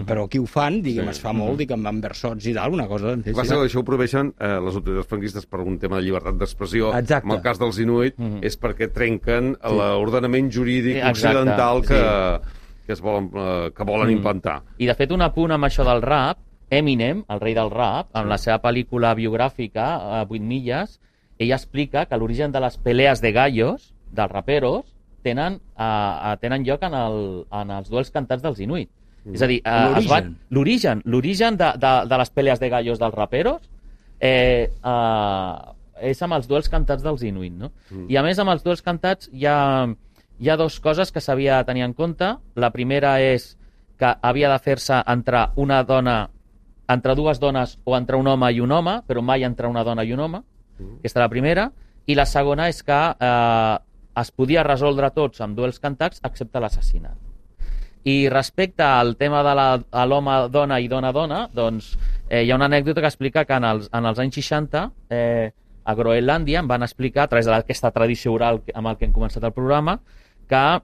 Però aquí ho fan, diguem, es fa molt, diguem, amb versots i tal, una cosa... Això ho prohibeixen les autoritats franquistes per un tema de llibertat d'expressió. En el cas dels Inuit és perquè trenquen l'ordenament jurídic occidental que volen implantar. I de fet un apunt amb això del rap, Eminem, el rei del rap, en la seva pel·lícula biogràfica, 8 milles, ell explica que l'origen de les pelees de gallos, dels raperos, tenen lloc en els duels cantats dels Inuit. És a dir, l'origen de les pelees de gallos dels raperos és amb els duels cantats dels Inuit, no? I a més, amb els duels cantats hi ha dues coses que s'havia de tenir en compte. La primera és que havia de fer-se entre dues dones o entre un home i un home, però mai entre una dona i un home. Aquesta és la primera. I la segona és que es podia resoldre tots amb duels cantats excepte l'assassinat. I respecte al tema de l'home-dona i dona-dona, doncs hi ha una anècdota que explica que en els anys 60 a Groenlàndia em van explicar, a través d'aquesta tradició oral amb el que hem començat el programa, que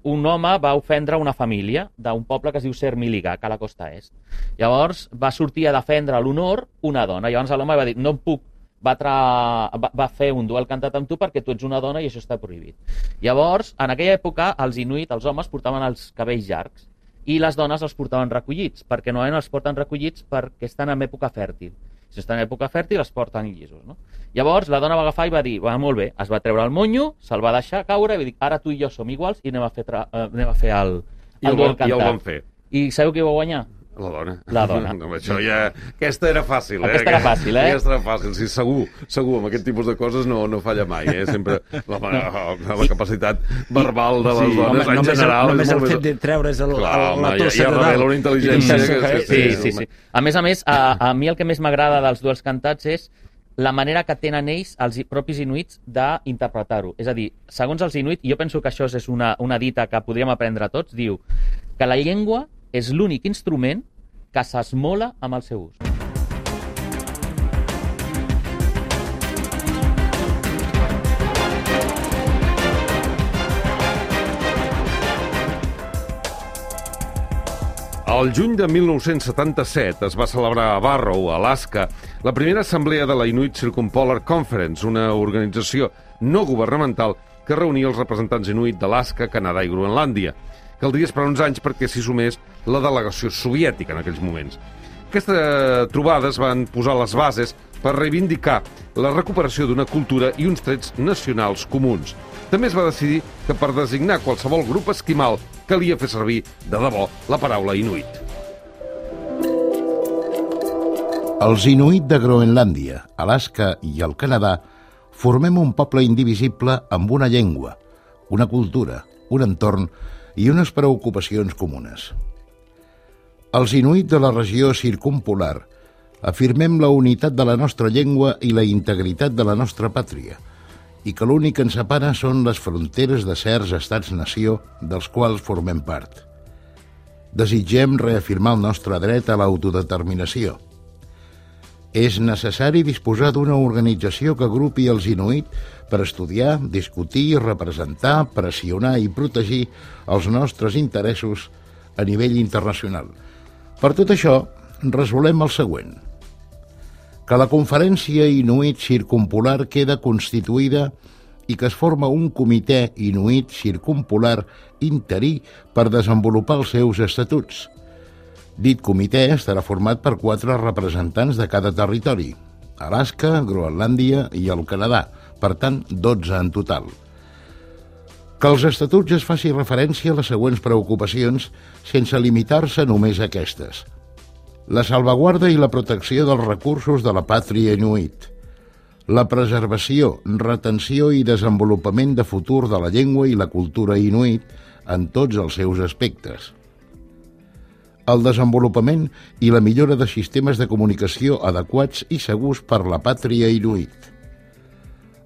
un home va ofendre una família d'un poble que es diu Sermiligak, a la costa est. Llavors va sortir a defendre l'honor una dona. Llavors l'home va dir, no puc va fer un duel cantat amb tu perquè tu ets una dona i això està prohibit. Llavors, en aquella època, els Inuit, els homes, portaven els cabells llargs i les dones els portaven recollits, perquè normalment els porten recollits perquè estan en època fèrtil. Si estan en època fèrtil, els porten llisos, no? Llavors, la dona va agafar i va dir, molt bé, es va treure el monyo, se'l va deixar caure i va dir, ara tu i jo som iguals i anem a fer el duel cantat. I el van fer. I sabeu qui va guanyar? La dona. La dona. Això ja... Aquesta era fàcil, Aquesta era fàcil, Aquesta era fàcil. Sí, segur, amb aquest tipus de coses no falla mai, Sempre la capacitat verbal de les dones, en general... Només el fet de treure's la tossa de dalt. Ja revela una intel·ligència... Sí. A més, a mi el que més m'agrada dels duels cantats és la manera que tenen ells, els propis inuits, d'interpretar-ho. És a dir, segons els inuit, jo penso que això és una dita que podríem aprendre tots, diu que la llengua és l'únic instrument que s'esmola amb el seu ús. El juny de 1977 es va celebrar a Barrow, Alaska, la primera assemblea de la Inuit Circumpolar Conference, una organització no governamental que reunia els representants inuit d'Alaska, Canadà i Groenlàndia. Caldria esperar uns anys perquè s'hi sumés la delegació soviètica en aquells moments. Aquestes trobades van posar les bases per reivindicar la recuperació d'una cultura i uns trets nacionals comuns. També es va decidir que per designar qualsevol grup esquimal calia fer servir de debò la paraula inuit. Els inuit de Groenlàndia, Alaska i el Canadà formem un poble indivisible amb una llengua, una cultura, un entorn i unes preocupacions comunes. Els inuit de la regió circumpolar afirmem la unitat de la nostra llengua i la integritat de la nostra pàtria, i que l'únic que ens separa són les fronteres de certs estats-nació dels quals formem part. desitgem reafirmar el nostre dret a l'autodeterminació. És necessari disposar d'una organització que agrupi els inuit per estudiar, discutir, representar, pressionar i protegir els nostres interessos a nivell internacional. Per tot això, resolem el següent. Que la Conferència Inuit Circumpolar queda constituïda i que es forma un comitè inuit circumpolar interí per desenvolupar els seus estatuts. Dit comitè estarà format per 4 representants de cada territori, Alaska, Groenlàndia i el Canadà, per tant, 12 en total. Que als estatuts es faci referència a les següents preocupacions sense limitar-se només a aquestes. La salvaguarda i la protecció dels recursos de la pàtria inuit, la preservació, retenció i desenvolupament de futur de la llengua i la cultura inuit en tots els seus aspectes, el desenvolupament i la millora de sistemes de comunicació adequats i segurs per la pàtria inuit.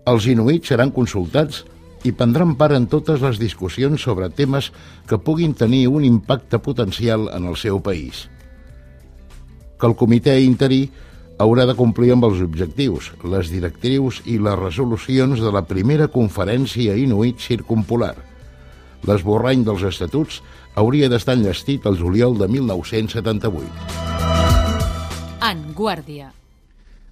Els inuits seran consultats i prendran part en totes les discussions sobre temes que puguin tenir un impacte potencial en el seu país. Que el comitè interí haurà de complir amb els objectius, les directrius i les resolucions de la primera conferència inuit circumpolar. L'esborrany dels estatuts hauria d'estar enllestit al juliol de 1978. En Guàrdia.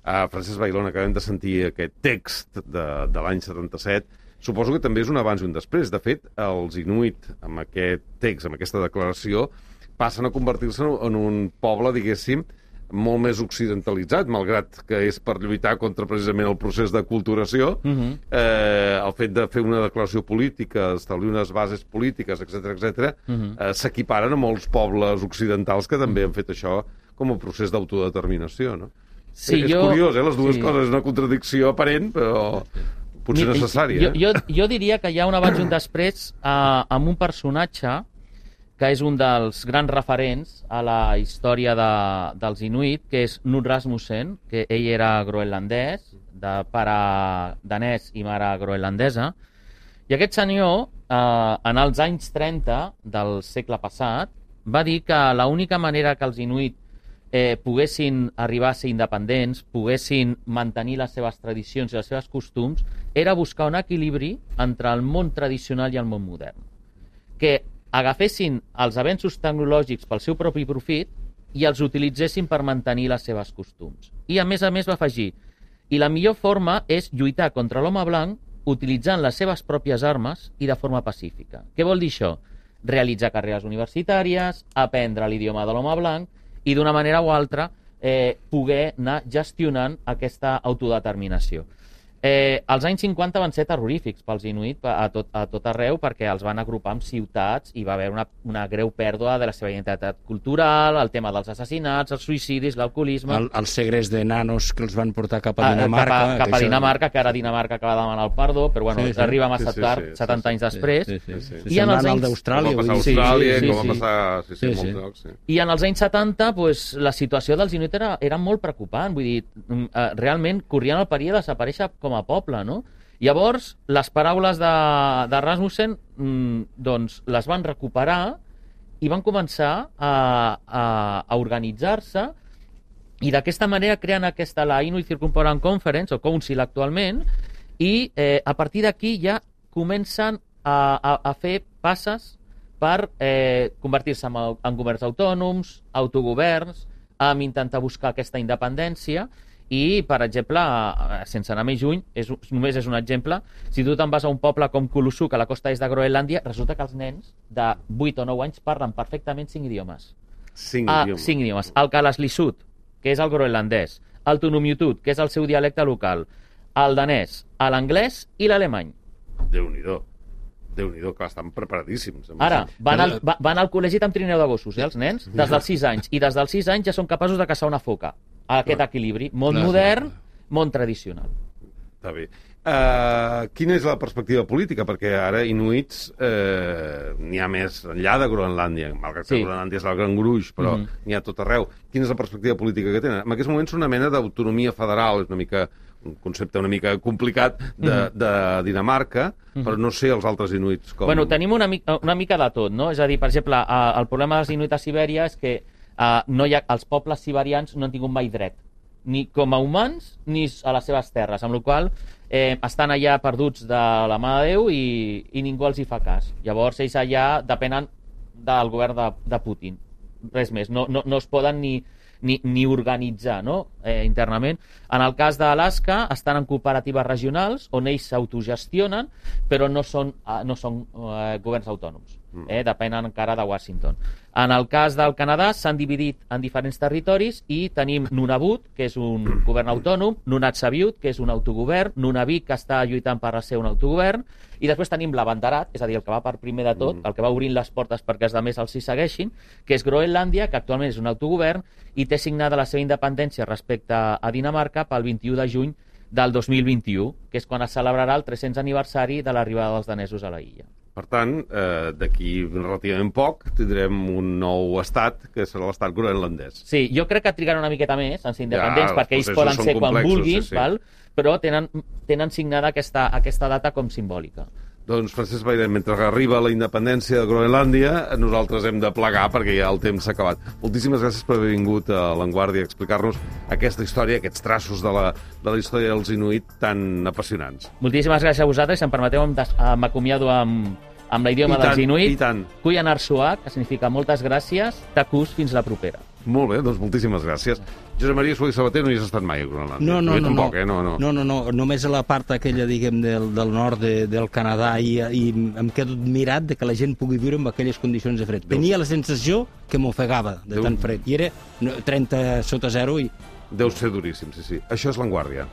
Francesc Bailón, acabem de sentir aquest text de l'any 77. Suposo que també és un abans i un després. De fet, els inuit, amb aquest text, amb aquesta declaració, passen a convertir-se en un poble, diguéssim, molt més occidentalitzat, malgrat que és per lluitar contra precisament el procés d'aculturació. El fet de fer una declaració política, establir unes bases polítiques, etc., s'equiparen a molts pobles occidentals que també han fet això com a procés d'autodeterminació, no? Sí, és curiós, les dues coses, és una contradicció aparent, però potser necessària. Jo diria que hi ha un abans i un després amb un personatge que és un dels grans referents a la història dels inuit, que és Knud Rasmussen, que ell era groenlandès, de pare danès i mare groenlandesa, i aquest senyor, en els anys 30 del segle passat, va dir que l'única manera que els inuit poguessin arribar a ser independents, poguessin mantenir les seves tradicions i els seus costums, era buscar un equilibri entre el món tradicional i el món modern. Que agafessin els avenços tecnològics pel seu propi profit i els utilitzessin per mantenir les seves costums. I a més va afegir, i la millor forma és lluitar contra l'home blanc utilitzant les seves pròpies armes i de forma pacífica. Què vol dir això? Realitzar carreres universitàries, aprendre l'idioma de l'home blanc i d'una manera o altra poder anar gestionant aquesta autodeterminació. Els anys 50 van ser terrorífics pels inuit a tot arreu perquè els van agrupar en ciutats i va haver una greu pèrdua de la seva identitat cultural, el tema dels assassinats, els suïcidis, l'alcoholisme... Els segrest de nanos que els van portar cap a Dinamarca... Cap a Dinamarca, que ara Dinamarca acaba de demanar el perdó, però bueno, arriba massa tard, 70 anys després. I en els anys... d'Austràlia. Com va passar a Austràlia, com va passar... molts llocs. I en els anys 70, la situació dels inuit era molt preocupant, vull dir, realment corrien el perill de desaparèixer com a poble, no? Llavors, les paraules de Rasmussen doncs les van recuperar i van començar a organitzar-se i d'aquesta manera creen la Inuit Circumpolar Conference, o Council actualment, i a partir d'aquí ja comencen a fer passes per convertir-se en governs autònoms, autogoverns, amb intentar buscar aquesta independència. I, per exemple, sense anar més lluny, només és un exemple, si tu te'n vas a un poble com Kulusuk, a la costa est de Groenlàndia, resulta que els nens de 8 o 9 anys parlen perfectament 5 idiomes. 5 idiomes. El Kalaslisut, que és el groenlandès, el Tunumiutut, que és el seu dialecte local, el danès, l'anglès i l'alemany. Déu-n'hi-do. Déu-n'hi-do, que estan preparadíssims. Ara, van al col·legi amb trineu de gossos, els nens, des dels 6 anys, i des dels 6 anys ja són capaços de caçar una foca. Aquest equilibri, món modern, món tradicional. Està bé. Quina és la perspectiva política? Perquè ara inuits n'hi ha més enllà de Groenlàndia, malgrat que Groenlàndia és el gran gruix, però n'hi ha tot arreu. Quina és la perspectiva política que tenen? En aquests moments una mena d'autonomia federal, és una mica un concepte una mica complicat de Dinamarca, però no sé els altres inuits com... Bueno, tenim una mica de tot, no? És a dir, per exemple, el problema dels inuits a Sibèria és que els pobles siberians no han tingut mai dret, ni com a humans ni a les seves terres, amb la qual cosa estan allà perduts de la mà de Déu i ningú els hi fa cas. Llavors ells allà depenen del govern de Putin, res més, no es poden ni organitzar, no? Internament. En el cas d'Alaska estan en cooperatives regionals on ells s'autogestionen, però no són governs autònoms, depenen encara de Washington. En el cas del Canadà s'han dividit en diferents territoris i tenim Nunavut, que és un govern autònom, Nunatsiavut, que és un autogovern, Nunavik, que està lluitant per ser un autogovern, i després tenim l'Abandarat, és a dir, el que va per primer de tot, el que va obrint les portes perquè els altres els hi segueixin, que és Groenlàndia, que actualment és un autogovern i té signada la seva independència respecte a Dinamarca pel 21 de juny del 2021, que és quan es celebrarà el 300 aniversari de l'arribada dels danesos a la illa. Per tant, d'aquí relativament poc tindrem un nou estat, que serà l'estat groenlandès. Sí, jo crec que trigaran una miqueta més en ser independents, perquè ells poden ser quan vulguin, val? Però tenen signada aquesta data com simbòlica. Doncs, Francesc Bairet, mentre arriba la independència de Groenlàndia, nosaltres hem de plegar perquè ja el temps s'ha acabat. Moltíssimes gràcies per haver vingut a La Vanguardia a explicar-nos aquesta història, aquests traços de la història dels inuit tan apassionants. Moltíssimes gràcies a vosaltres. Si em permeteu, m'acomiado amb l'idioma dels inuit. I tant. Kuyan Arsuak, que significa moltes gràcies, takus, fins la propera. Molt bé, doncs moltíssimes gràcies. Josep Maria Solís Sabater, no hi has estat mai a Groenlàndia. No. Tampoc, No, només a la part aquella, diguem, del nord del Canadà i em quedo admirat de que la gent pugui viure en aquelles condicions de fred. Tenia la sensació que m'ofegava de tan fred, i era 30 sota zero i... Deu ser duríssim, sí. Això és La Vanguardia.